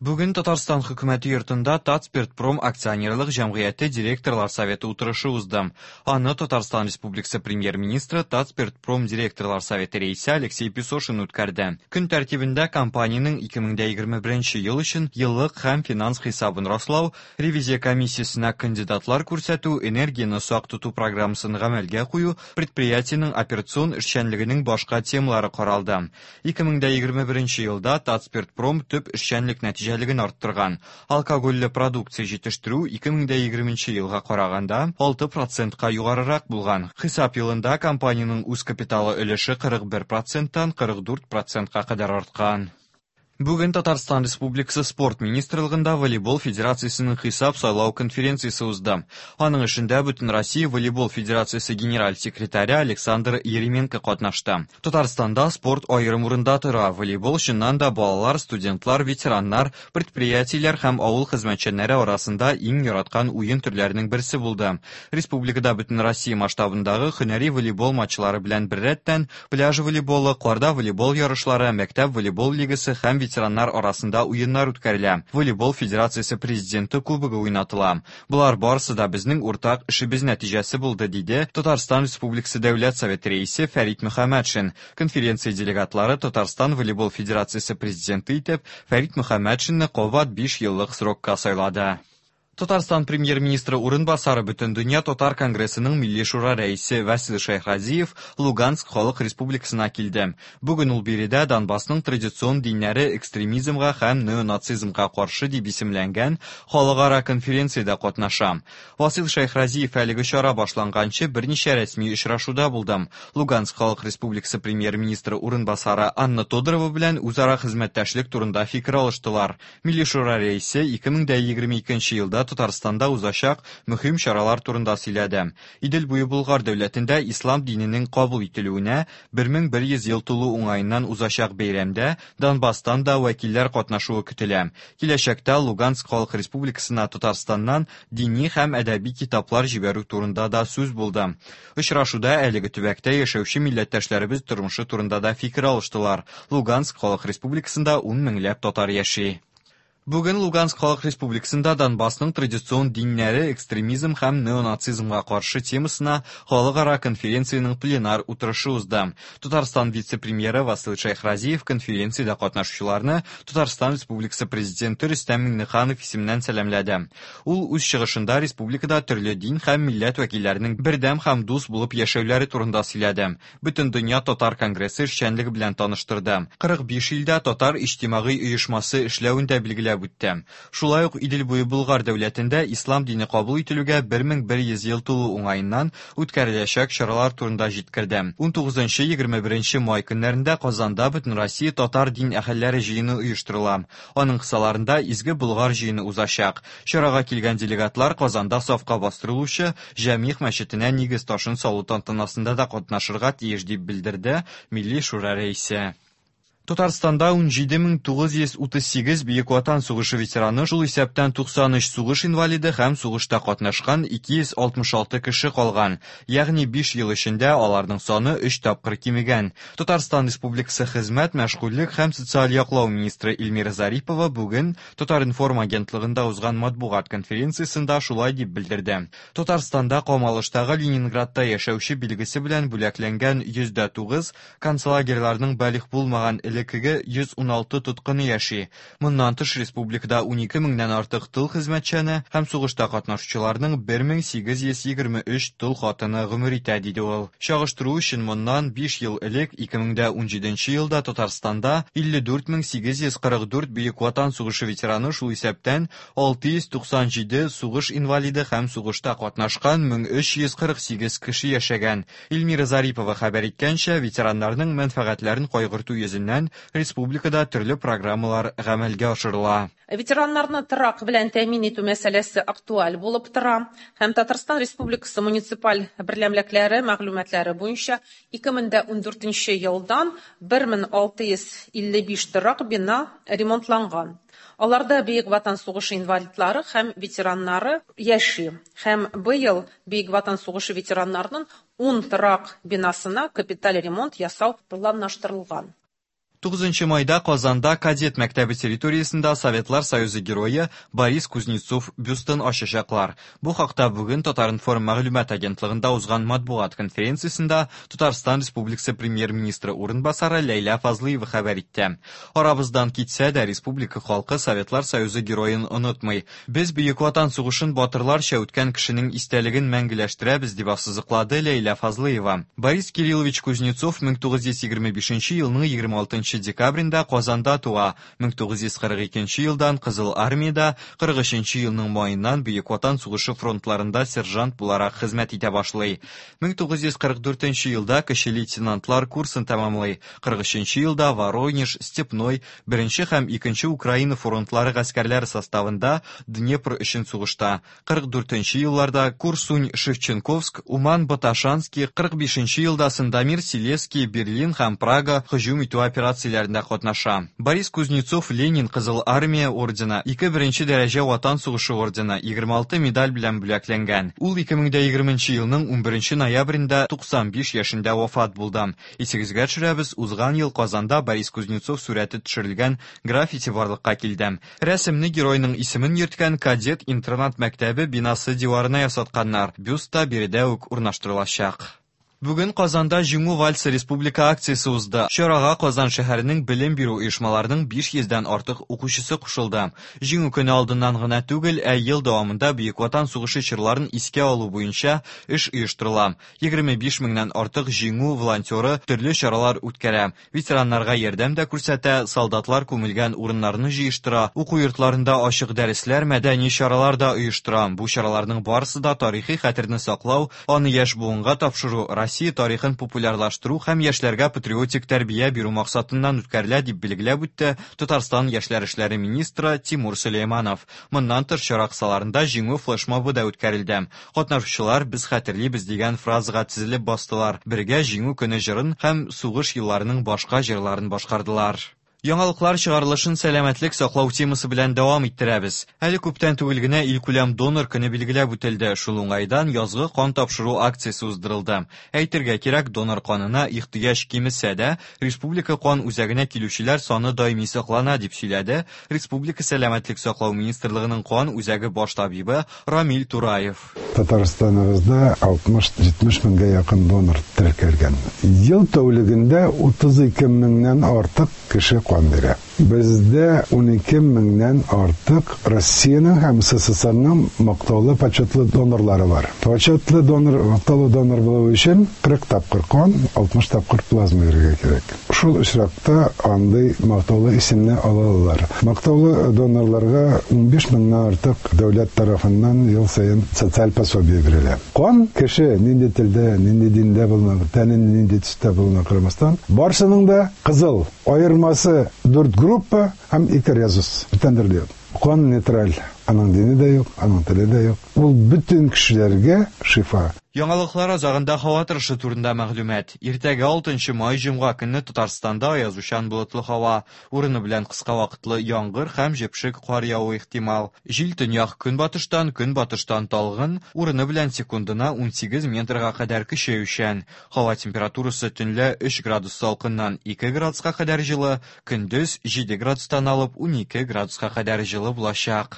Бүген Татарстан Хөкүмәте йортында Татспиртпром акционерлык җәмгыяте директорлар советы утырышы узды. Аны Татарстан Республикасы премьер-министры Татспиртпром директорлар советы рәисе Алексей Песошин үткәрде. Көн тәртибендә компаниянең 2021 ел өчен еллык һәм финанс хисабын раслау, ревизия комиссиясенә кандидатлар күрсәтү, энергияне сак тоту программасын гамәлгә кую, предприятиенең операцион эшчәнлегенең башка темалары каралды. 2021 елда Татспиртпром төп эшчәнлек нәтиҗәлеген арттырган. Алкогольле продукция җитештерү 2020 елга караганда 6 процентка югарырак булган. Хисап елында компаниянең үз капиталы өлеше 41 проценттан 44 процентка кадәр арткан. Бүген Татарстан Республикасы Спорт министрлыгында Волейбол федерациясенең хисап-сайлау конференциясе узды. Аның эшендә Бөтенроссия волейбол федерациясе генераль секретаре Александр Еременко катнашты. Татарстанда спорт аерым урында тора. Волейбол чыннан да балалар, студентлар, ветераннар, предприятиеләр һәм авыл хезмәтчәннәре арасында иң яраткан уен төрләренең берсе булды. Республикада Бөтенроссия масштабындагы һөнәри волейбол матчлары белән беррәттән пляж волейболы, карда волейбол ярышлары, мәктәп волейбол лигасы һәм ветераннар арасында уеннар үткәрелә. Волейбол федерациясе президенты кубогы уйнатыла. Болар барысы да безнең уртак эшебез нәтиҗәсе булды, диде Татарстан Республикасы Дәүләт Советы рәисе Фәрит Мөхәммәтшин. Конференция делегатлары Татарстан волейбол федерациясе президенты итеп Фәрит Мөхәммәтшинны кабат 5 еллык срокка сайлады. Татарстан премьер-министры урынбасары Бөтендөнья татар конгрессының Милли шура рәисе Васил Шәйхразиев Луганск халык республикасына килде. Бүген ул биредә Донбассның традицион диннәре экстремизмга һәм неонацизмга каршы дип исемләнгән халыкара конференциядә катнаша. Васил Шәйхразиев әлеге чара башланганчы берничә рәсми очрашуда булды. Луганск халык республикасы премьер-министры урынбасары Анна Тодорова белән үзара хезмәттәшлек турында фикер алыштылар. Милли шура рәисе 2022 елда Татарстанда узачак мөһим чаралар турында сөйләде. Идел буе Болгар дәүләтендә ислам диненең кабул ителүенә 1100 ел тулу уңаеннан узачак бәйрәмдә Донбасстан да вәкилләр катнашуы көтелә. Киләчәктә Луганск халык республикасына Татарстаннан дини һәм әдәби китаплар җибәрү турында да сүз булды. Очрашуда әлеге төбәктә яшәүче милләттәшләребез тормышы турында да фикер алыштылар. Луганск халык республикасында 10 меңләп татар яши. Бүген Луганск халык республикасында Донбассның традицион диннәре экстремизм һәм неонацизмга каршы темасына халыкара конференциянең пленар утырышы узды. Татарстан вице-премьеры Васил Шәйхразиев конференциядә катнашучыларны Татарстан Республикасы президенты Рөстәм Миңнеханов исеменнән сәламләде. Ул үз чыгышында республикада төрле дин һәм милләт вәкилләренең бердәм һәм дус булып яшәүләре турында сөйләде. Бөтендөнья татар конгрессы эшчәнлеге белән таныштырды. 45 илдә татар иҗтимагый оешмасы эшләвен дә билгеләп үтте. Шулай ук Идел буе Болгар дәүләтендә ислам дине кабул ителүгә 1100 ел тулу уңаеннан үткәреләчәк чаралар турында җиткерде. 19-21 май көннәрендә Казанда Бөтенроссия татар дин әһелләре җыены оештырыла. Аның кысаларында Изге Болгар җыены узачак. Чарага килгән делегатлар Казанда сафка бастырылучы Җәмигъ мәчетенә нигез ташын салу тантанасында да катнашырга тиеш, дип белдерде Милли шура рәисе. Татарстанда 17938 Бөек Ватан сугышы ветераны, шул исәптән 93 сугыш инвалиды һәм сугышта катнашкан 266 кеше калган. Ягъни 5 ел эчендә аларның саны 3 тапкыр кимегән. Татарстан Республикасы Хезмәт, мәшгульлек һәм социаль яклау министры Эльмира Зарипова бүген Татар-информ агентлыгында узган матбугат конференциясендә шулай дип белдерде. Татарстанда камалыштагы Ленинградта яшәүче билгесе белән бүләкләнгән 109 концлагерьларның балигъ булмаган элеккеге 116 тоткыны яши. Моннан тыш республикада 12 меңнән артык тыл хезмәтчәне һәм сугышта катнашучыларның 1823 тол хатыны гомер итә, диде ул. Чагыштыру өчен моннан 5 ел элек 2017 елда Татарстанда 54844 Бөек Ватан сугышы ветераны, шул исәптән 697 сугыш инвалиды һәм сугышта катнашкан 1348 кеше яшәгән. Эльмира Зарипова хәбәр иткәнчә, ветераннарның мәнфәгатьләрен кайгырту йөзеннән республикада төрле программалар гамәлгә ашырыла. Ветераннарны торак белән тәэмин итү мәсьәләсе актуаль булып тора һәм Татарстан Республикасы муниципаль берәмлекләре мәгълүматлары буенча 2014 елдан 1655 торак бина ремонтланган. Аларда Бөек Ватан сугышы инвалидлары һәм ветераннары яши. Һәм быел Бөек Ватан сугышы ветераннарының 10 торак бинасына капиталь ремонт ясау планлаштырылган. 9 майда Казанда кадет мәктәбе территориясендә Советлар Союзы герое Борис Кузнецов бюстын ачачаклар. Бу хакта бүген Татар-информ мәгълүмат агентлыгында узган матбугат конференциясендә Татарстан Республикасы премьер-министры урынбасары Ләйлә Фазлыева хәбәр итте. Арабыздан китсә дә, республика халкы Советлар Союзы героен онытмый. Без Бөек Ватан сугышын батырларча үткән кешенең истәлеген мәңгеләштерәбез, дип ассызыклады Ләйлә Фазлыева. Борис Кириллович Кузнецов 1925 елның 26 декабрендә Казанда туа. 1942 елдан Кызыл Армиядә, 43 елның маеннан Бөек Ватан сугышы фронтларында сержант буларак хезмәт итә башлый. 1944 елда кече лейтенантлар курсын тәмамлый. 43 елда Воронеж, Степной, Беренче һәм Икенче Украина фронтлары гаскәрләре составында Днепр өчен сугышта. 44 елларда Курсунь-Шевченковск, Уман-Баташанский, 45 елда Сандомир, Силезский, Берлин һәм Прага һөҗүм итү операцияләрендә катнаша. Борис Кузнецов Ленин Кызыл Армия ордены, ике беренче дәрәҗә Ватан сугышы ордены, 26 медаль белән бүләкләнгән. Ул 2020 елның 11 ноябрендә 95 яшендә вафат булды. Исегезгә төшерәбез, узган ел Казанда Борис Кузнецов сурәте төшерелгән граффити барлыкка килде. Рәсемне геройның исемен йөрткән кадет интернат мәктәбе бинасы диварына ясатканнар. Бюст та биредә үк урнаштырылачак. Бүген Казанда Җиңү вальсы республика акциясе узды. Чарага Казан шәһәренең белем бирү оешмаларының 500 дән артык укучысы кушылды. Җиңү көне алдыннан гына түгел, ә ел дәвамында Бөек Ватан сугышы чорларын искә алу буенча эш оештырыла. 25 меңнән артык Җиңү волонтеры төрле чаралар үткәрә, ветераннарга ярдәм дә күрсәтә, солдатлар күмелгән урыннарны җыештыра, уку йортларында ачык дәресләр, мәдәни чаралар да оештыра. Бу чараларның барысы да тарихи хәтерне саклау, аны яшь буынга тапшыру, Россия тарихын популярлаштыру һәм яшьләргә патриотик тәрбия бирү максатыннан үткәрелә, дип билгеләп үтте Татарстан яшьләр эшләре министры Тимур Сөләйманов. Моннан тыш, чара кысаларында Җиңү флешмобы да үткәрелде. Катнашучылар Без хәтерлибез дигән фразага тезелеп бастылар, бергә Җиңү көне җырын һәм сугыш елларының башка җырларын башкардылар. Яңалыклар чыгарылышын сәламәтлек саклау темасы белән дәвам иттерәбез. Әле күптән түгел генә илкүләм донор көне билгеләп үтелде. Шул уңайдан язгы кан тапшыру акциясе уздырылды. Әйтергә кирәк, донор канына ихтыяҗ кимесә дә, республика кан үзәгенә килүчеләр саны даими саклана, дип сөйләде Республика Сәламәтлек саклау министрлыгының кан үзәге баш табибы Рамил Тураев. Татарстаныбызда 60-70 меңгә якын донор теркәлгән. Ел тәүлегендә 32 меңнән артык кеше кан бирә. Бездә 12 меңнән артык Россиянең һәм СССРның мактаулы почетлы донорлары бар. Почетлы донор, мактаулы донор булу өчен 40 тапкыр кан, 60 тапкыр плазма бирергә кирәк. Шул очракта андый мактаулы исемне ала алалар. Мактаулы донорларга 15 меңнән артык дәүләт тарафыннан ел саен социаль пособие бирелә. Кан кеше нинди телдә, нинди диндә булуына, тәне нинди төстә булуына карамастан, барысының да кызыл. Аермасы дүрт группа һәм ике резус. Бүтән төрле юк. Кан нейтраль. Аның дине дә юк, аның теле дә юк. Ул бөтен кешеләргә шифа. Яңалыклар азагында һава торышы турында мәгълүмат. Иртәгә 6 май җомга көнне Татарстанда аязучан болытлы һава, урыны белән кыска вакытлы яңгыр һәм җепшек кар явуы ихтимал. Җил төньяк-көнбатыштан, көнбатыштан талгын, урыны белән секундына 18 метрга кадәр көчәючән. Һава температурасы төнлә 3 градус салкыннан 2 градуска кадәр җылы, көндез 7 градустан алып 12 градуска кадәр җылы булачак.